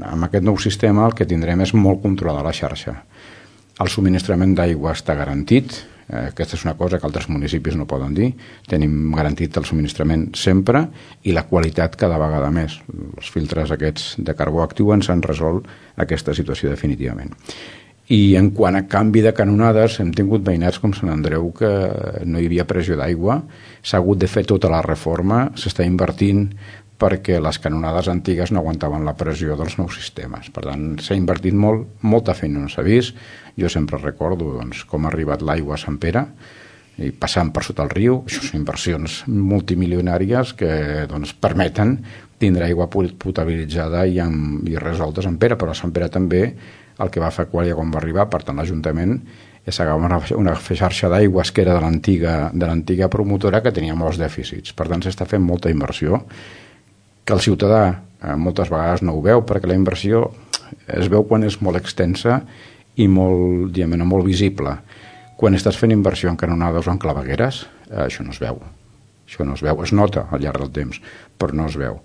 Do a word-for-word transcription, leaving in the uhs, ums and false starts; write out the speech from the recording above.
amb aquest nou sistema el que tindrem és molt controlada la xarxa. El subministrament d'aigua està garantit, eh, aquesta és una cosa que altres municipis no poden dir, tenim garantit el subministrament sempre i la qualitat cada vegada més. Els filtres aquests de carbó actiu ens han resolt aquesta situació definitivament. I en quant a canvi de canonades, hem tingut veïnats com Sant Andreu que no hi havia pressió d'aigua, s'ha hagut de fer tota la reforma, s'està invertint perquè les canonades antigues no aguantaven la pressió dels nous sistemes. Per tant, s'ha invertit molt, molta feina no s'ha vist. Jo sempre recordo doncs, com ha arribat l'aigua a Sant Pere, i passant per sota el riu. Això són inversions multimilionàries que doncs, permeten tindre aigua potabilitzada i, amb, i resolta a Sant Pere, però a Sant Pere també el que va fer Aquàlia quan va arribar, per tant l'Ajuntament és agafar una, una xarxa d'aigües que era de l'antiga de l'antiga promotora que tenia molts dèficits. Per tant, s'està fent molta inversió que el ciutadà eh, moltes vegades no ho veu, perquè la inversió es veu quan és molt extensa i molt, diguem, molt visible. Quan estàs fent inversió en canonades o en clavegueres, eh, això no es veu. Això no es veu, es nota al llarg del temps, però no es veu.